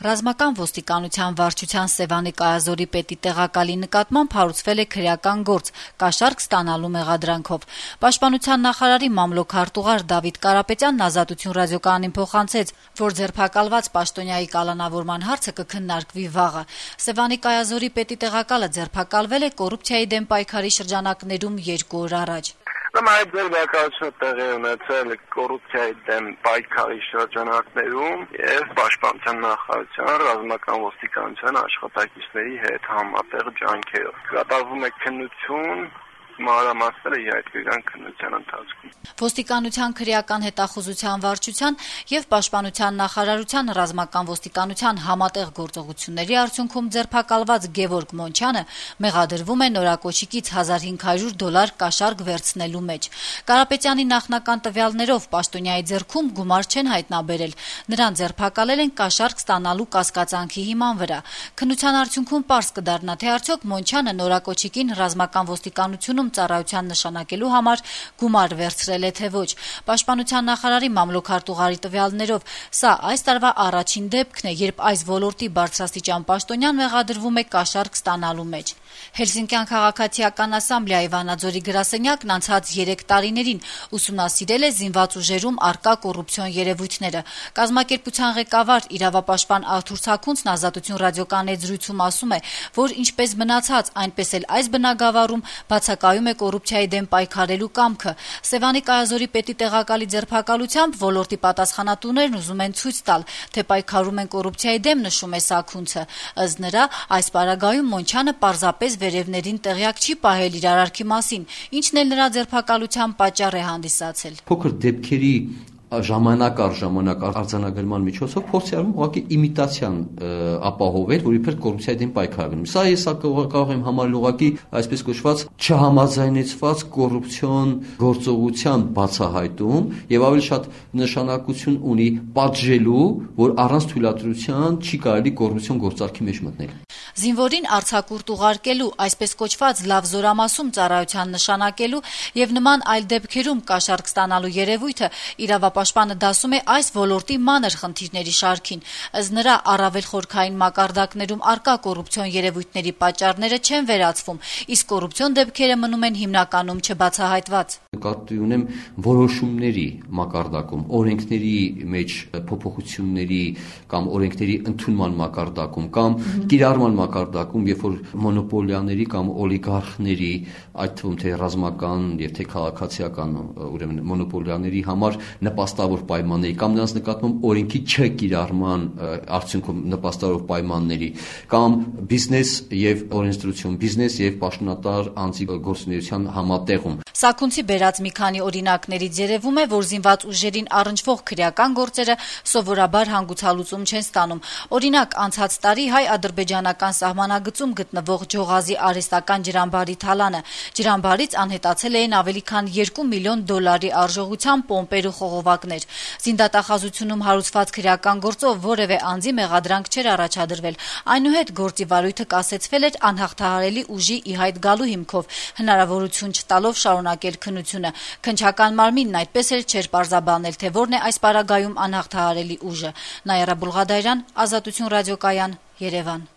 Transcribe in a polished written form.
Ռազմական ոստիկանության վարչության Սևանի կայազորի պետի տեղակալի նկատմամբ հարուցվել է քրեական գործ կաշառք ստանալու մեղադրանքով։ Պաշտպանության նախարարի մամլոք-արտուղար Դավիթ Կարապետյանն Ազատություն ռադիոկայանին փոխանցեց, որ ձերբակալված պաշտոնյայի կալանավորման հարցը կքննարկվի վաղը։ Սևանի կայազորի պետի տեղակալը ձերբակալվել է կոռուպցիայի դեմ պայքարի շրջանակներում 2 օր առաջ։ Այդ ձերբակալությունը տեղի ունեցել կոռուպցիայի դեմ պայքարի շրջանակներում եւ պաշտպանության նախարարության ռազմական ոստիկանության աշխատակիցների հետ համատեղ ջանքերով։ Կատարվում է քննություն, մանրամասները յայտնվեն քննության ընթացքում։ Ոստիկանության քրեական հետախուզության վարչության եւ Պաշտպանության նախարարության ռազմական ոստիկանության համատեղ գործողությունների արդյունքում ձերբակալված Գևորգ Մոնչյանը մեղադրվում է նորակոչիկից $1500 կաշառք վերցնելու մեջ։ Կարապետյանի նախնական տվյալներով պաշտոնյայի ձեռքում գումար չեն հայտնաբերել։ Նրան ձերբակալել են կաշառք ստանալու կասկածանքի հիման վրա։ Քննության արդյունքում պարզ կդառնա, թե արդյոք Մոնչյանը նորակոչիկին ռազմական ոստիկանությունում ծառայության նշանակելու համար գումար վերցրել է թե ոչ։ Պաշտպանության նախարարի մամլոք-արտուղարի տվյալներով սա այս տարվա առաջին դեպքն է, երբ այս ոլորտի բարձրաստիճան պաշտոնյան մեղադրվում է կաշառք ստանալու մեջ։ Հելսինկյան քաղաքացիական ասամբլեայի Վանաձորի գրասենյակն անցած 3 տարիներին ուսումնասիրել է զինված ուժերում առկա կոռուպցիոն երևույթները։ Կազմակերպության ղեկավար իրավապաշտպան Արթուր Սաքունցն Ազատություն ռադիոկայանի զրույցում ասում է, որ ինչպես մնացած, այնպես էլ այս բնագավառում բացակայում է կոռուպցիայի դեմ պայքարելու կամքը։ Սևանի կայազորի պետի տեղակալի ձերբակալությամբ ոլորտի պատասխանատուներն ուզում են ցույց տալ, թե պայքարում են կոռուպցիայի դեմ, նշում է Սաքունցը։ Ըստ նրա, այս պարագայում Մոնչյանը պարզապես վերևներին տեղյակ չի պահել իր արարքի մասին, ինչն էլ նրա ձերբակալության պատճառ է հանդիսացել։ Փոքր դեպքերի ժամանակ առ ժամանակ արձանագրման միջոցով փորձի արվում ուղղակի իմիտացիան ապահովել, որ իբր կոռուպցիայի դեմ պայքարում։ Սա կարող եմ համարել ուղղակի այսպես կոչված չհամաձայնեցված կոռուպցիոն գործողության բացահայտում եւ ավելի շատ նշանակություն ունի պատժելու, որ առանց թույլատրության չի կարելի կոռուպցիոն գործարքի մեջ մտնել։ Զինվորին արձակուրդ ուղարկելու, այսպես կոչված լավ զորամասում ծառայության նշանակելու եւ նման այլ դեպքերում կաշառք ստանալու երևույթը իրավապաշտպանը դասում է այս ոլորտի մանր խնդիրների շարքին։ Ըստ նրա, առավել խորքային մակարդակներում առկա կոռուպցիոն երևույթների պատճառները չեն վերացվում, իսկ կոռուպցիոն դեպքերը մնում են հիմնականում չբացահայտված։ Նկատի ունեմ որոշումների մակարդակում, օրենքների մեջ փոփոխությունների կամ օրենքների ընդունման մակարդակում կամ կիրառման մակարդակում, երբ որ մոնոպոլիաների կամ օլիգարխների, այդ թվում թե ռազմական եւ թե քաղաքացիական, ուրեմն մոնոպոլիաների համար նպաստավոր պայմանների կամ նրանց նկատմամբ օրենքի չկիրառման արդյունքում նպաստավոր պայմանների կամ բիզնես եւ օրենսդրություն, բիզնես եւ պաշտոնատար անձի գործունեության համատեղում։ Սաքունցի բերած մի քանի օրինակներից երևում է, որ զինված ուժերին առնչվող քրեական գործերը սովորաբար հանգուցալուծում չեն ստանում։ Օրինակ, անցած տարի հայ-ադրբեջանական սահմանագծում գտնվող Ջողազի արհեստական ջրամբարի թալանը։ Ջրամբարից անհետացել էին ավելի քան $2 միլիոն արժողությամբ պոմպեր ու խողովակներ։ Զինդատախազությունում հարուցված քրեական գործով որևէ անձի մեղադրանք չէր առաջադրվել։ Այնուհետ գործի վարույթը կասեցվել էր անհաղթահարելի ուժի ի հայտ գալու հիմքով, հնարավորություն չտալով շարունակել քննությունը։ Քննչական մարմինն այդպես էլ չէր պարզաբանել, թե որն է այս պարագայում անհաղթահարելի ուժը։ Նայիրա Բուլղադարյան, Ազատություն ռադիոկայան, Երևան։